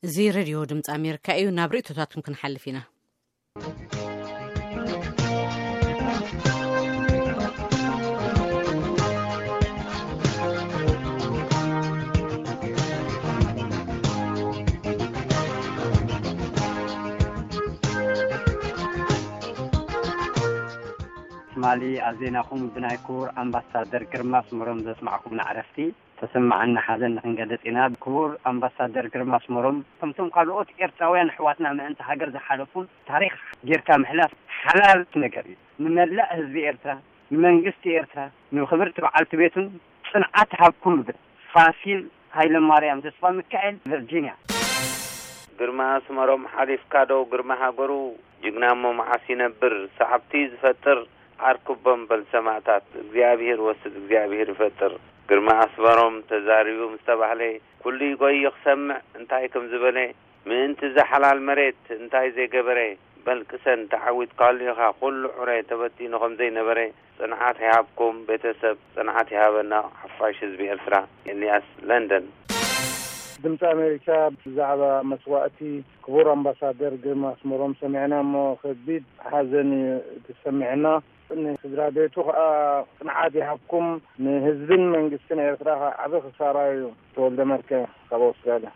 እዚ ሬድዮ ድምፂ ኣሜሪካ እዩ። ናብ ርእቶታትኩም ክንሓልፍ ኢና። ትማሊ ኣብ ዜናኹም ብናይ ክቡር ኣምባሳደር ግርማ ኣስመሮም ዘስማዕኩምና ዕረፍቲ ተሰማዓና ሓዘን ንክንገልጽ ኢና። ክቡር ኣምባሳደር ግርማ ኣስመሮም ከምቶም ካልኦት ኤርትራውያን ኣሕዋትና ምእንቲ ሃገር ዝሓለፉን ታሪኽ ጌርካ ምሕላፍ ሓላል ነገር እዩ። ንመላእ ህዝቢ ኤርትራ፣ ንመንግስቲ ኤርትራ፣ ንክብርቲ በዓልቲ ቤቱን ጽንዓት ይሃብኩም እብል። ፋሲል ሃይለማርያም ተስፋ ሚካኤል፣ ቨርጂንያ። ግርማ ኣስመሮም ሓሊፍካ ዶ ግርማ ሃገሩ? ጅግና እሞ መዓስ ይነብር? ሰዓብቲ ዝፈጥር ዓርኩቦም በል ሰማእታት። እግዚኣብሔር ወስድ እግዚኣብሔር ይፈጥር። ግርማ ኣስመሮም ተዛሪቡ ምስ ተባህለ ኩሉ ይጎይ ክሰምዕ እንታይ ከም ዝበለ፣ ምእንቲ እዛ ሓላል መሬት እንታይ ዘይገበረ? በል ቅሰን፣ ተዓዊትካሉ ኢኻ። ኩሉ ዑረ ተበቲኑ ከም ዘይነበረ። ጽንዓት ይሃብኩም ቤተሰብ፣ ጽንዓት ይሃበና ሓፋሽ ህዝቢ ኤርትራ። ኤልያስ ለንደን። ድምፂ ኣሜሪካ ብዛዕባ መስዋእቲ ክቡር ኣምባሳደር ግርማ ኣስመሮም ሰሚዕና እሞ ከቢድ ሓዘን እዩ ተሰሚዕና። ንስድራ ቤቱ ከዓ ጽንዓት ይሃብኩም፣ ንህዝብን መንግስትን ኤርትራ ከዓ ዓቢ ክሳራ እዩ። ተወልደ መርከ ካብ ኣውስትራልያ።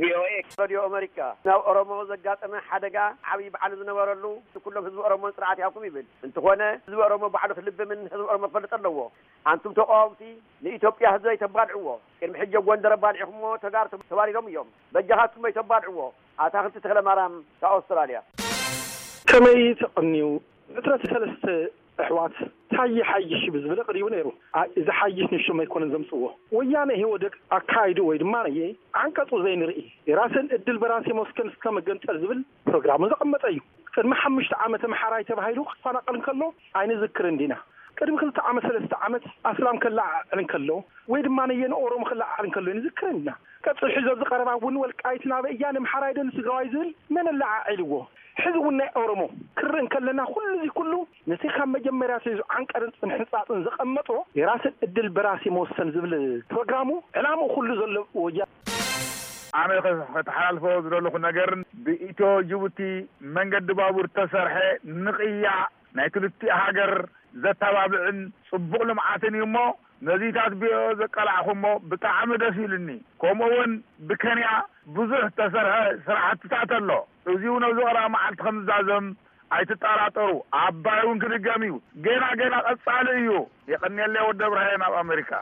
ቪኦኤ። ሬድዮ ኣሜሪካ፣ ናብ ኦሮሞ ዘጋጠመ ሓደጋ ዓብዪ በዓል ዝነበረሉ ኩሎም ህዝቢ ኦሮሞን ጽንዓት ይሃብኩም ይብል። እንተኾነ ህዝቢ ኦሮሞ ባዕሉ ክልብምን ህዝቢ ኦሮሞ ክፈልጥ ኣለዎ። ኣንቱም ተቃወምቲ ንኢትዮጵያ ህዝቢ ኣይተባልዕዎ። ቅድሚ ሕጂ ኣብ ጎንደር ኣባሊዕኹምዎ ተጋሩ ተባሪሮም እዮም። በጃኻትኩም ኣይተባልዕዎ። ኣታኽልቲ ተኽለ ማርያም ካብ ኣውስትራልያ። ከመይ ተቐንዩ ዕስራን ሰለስተ ኣሕዋት ታየ ሓይሽ ብዝብል ቀሪቡ ነይሩ። ኣይ፣ እዚ ሓይሽ ንሾም ኣይኮነን ዘምጽዎ። ወያነ ኢህወደግ ኣካይዱ ወይ ድማ ነየ ዓንቀጹ ዘይንርኢ፣ የራስን እድል በራስ የመስከን እስከ መገንጠል ዝብል ፕሮግራሙ ዘቐመጠ እዩ። ቅድሚ ሓሙሽተ ዓመት ኣምሓራይ ተባሂሉ ክፈናቐል እንከሎ ኣይንዝክርን ዲና? ቅድሚ ክልተ ዓመት፣ ሰለስተ ዓመት ኣስላም ከለዓዕል እንከሎ ወይ ድማ ነየ ንኦሮሞ ከለዓዕል እንከሎ ኣይንዝክርን ዲና? ቀጽሉ ሕዚ ኣብዚ ቀረባ እውን ወልቃይት ናበይ እያ፣ ንምሓራይ ዶ ንትግራዋይ ዝብል መን ኣለዓዒልዎ? ሕዚ እውን ናይ ኦሮሞ ክርኢ እንከለና ኩሉ እዚ ኩሉ ነቲ ካብ መጀመርያ ኣትሒዙ ዓንቀርን ጽንሕንጻጽን ዘቐመጦ የራስን እድል በራስ የመወሰን ዝብል ፕሮግራሙ ዕላምኡ ኩሉ ዘሎ ወያ-። ኣነ ከ-፣ ከተሓላልፎ ዝደለኹ ነገር ብኢትዮ ጅቡቲ መንገዲ ባቡር ተሰርሐ ንቕያ ናይ ክልቲኡ ሃገር ዘተባብዕን ጽቡቕ ልምዓትን እዩ እሞ ነዚታት ቢኦ ዘቀላዕኹሞ ብጣዕሚ ደስ ኢሉኒ። ከምኡ እውን ብኬንያ ብዙሕ ተሰርሐ ስራሕትታት ኣሎ። እዚ እውን ኣብዚ ቀረባ መዓልቲ ከም ዝዛዘም ኣይትጠራጠሩ። ኣባይ እውን ክድገም እዩ። ገና ገና ቀጻሊ እዩ። የቐንየለይ ወዲ እብራሂም ኣብ ኣሜሪካ።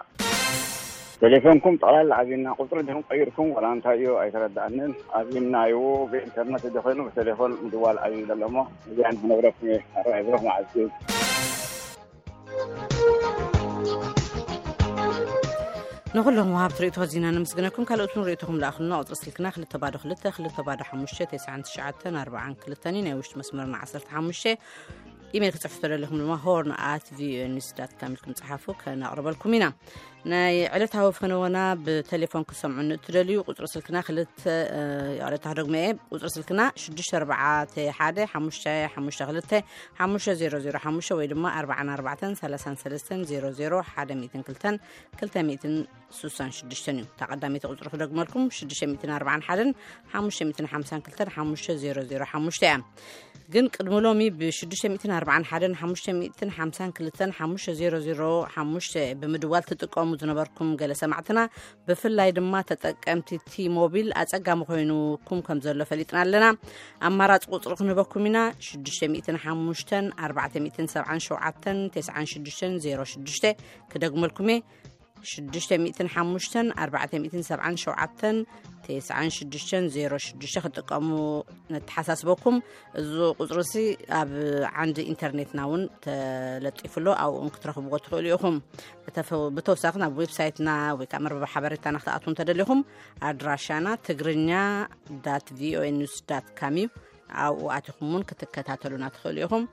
ቴሌፎንኩም ጠቕላላ ኣብና ቁፅሪ ድኹም ቀይርኩም ዋላ እንታይ እዩ ኣይተረዳእንን። ኣብናዮ ብኢንተርነት እንተኾይኑ ብቴሌፎን ምድዋል ኣብዩ ዘሎ እሞ እዚኣ ንክነግረኩም እየ። ኣርባዕ ብሩኽ መዓልቲ። ንኹሎም ወሃብቲ ርእይቶ ኣዚና ነመስግነኩም። ካልኦት እውን ርእይቶኹም ለኣኹልና። ቁፅሪ ስልክና ክልተ ባዶ ክልተ፣ ክልተ ባዶ ሓሙሽተ፣ ተስዓን ትሽዓተን ኣርባዓን ክልተን እዩ። ናይ ውሽጢ መስመርና ዓሰርተ ሓሙሽተ። ኢሜል ክጽሕፉ ተደሊኹም ድማ ሆርን ኣት ቪኦኤ ኒውስ ዳት ካም ኢልኩም ጸሓፉ፣ ከነቕርበልኩም ኢና። ናይ ዕለታዊ ፈነወና ብቴሌፎን ክሰምዑ እትደልዩ ቁጽሪ ስልክና ክልተ፣ እ፣ ይቕሬታ ክደግሞ እየ። ቁጽሪ ስልክና ሽዱሽተ ኣርባዕተ ሓደ ሓሙሽተ ሓሙሽተ ክልተ ሓሙሽተ ዜሮ ዜሮ ሓሙሽተ ወይ ድማ ኣርባዓን ኣርባዕተን ሰላሳን ሰለስተን ዜሮ ዜሮ ሓደ ሚእትን ክልተን ክልተ ሚእትን ስሳን ሽዱሽተን እዩ። እታ ቀዳመይቲ ቁጽሪ ክደግመልኩም፣ ሽዱሽተ ሚእትን ኣርባዓን ሓደን ሓሙሽተ ሚእትን ሓምሳን ክልተን ሓሙሽተ ዜሮ ዜሮ ሓሙሽተ እያ። ግን ቅድሚ ሎሚ ብሽዱሽተ ሚእትን ኣርባዓን ሓደን ሓሙሽተ ሚእትን ሓምሳን ክልተን ሓሙሽተ ዜሮ ዜሮ ሓሙሽተ ብምድዋል ትጥቀሙ ዝነበርኩም ገለ ሰማዕትና፣ ብፍላይ ድማ ተጠቀምቲ ቲ ሞቢል ኣጸጋሚ ኮይኑኩም ከም ዘሎ ፈሊጥና ኣለና። ኣማራጺ ቁጽሪ ክንህበኩም ኢና፣ ሽዱሽተ ሚእትን ሓሙሽተን ኣርባዕተ ሚእትን ሰብዓን ሸውዓተን ተስዓን ሽዱሽተን ዜሮ ሽዱሽተ። ክደግመልኩም እየ፣ ሽዱሽተ ሚእትን ሓሙሽተን ኣርባዕተ ሚእትን ሰብዓን ሸውዓተን ተስዓን ሽዱሽተን ዜሮ ሽዱሽተ ክትጥቀሙ ነተሓሳስበኩም። እዚ ቁጽሪ እዚ ኣብ ዓንዲ ኢንተርኔትና እውን ተለጢፉ ኣሎ፣ ኣብኡ እውን ክትረኽብዎ ትኽእሉ ኢኹም። ብተፈ-፣ ብተወሳኺ ናብ ዌብሳይትና ወይ ከዓ መርበብ ሓበሬታና ክትኣትዉ እንተደሊኹም ኣድራሻና ትግርኛ ዳት ቪኦኤ ኒውስ ዳት ካም እዩ። ኣብኡ ኣቲኹም እውን ክትከታተሉና ትኽእሉ ኢኹም።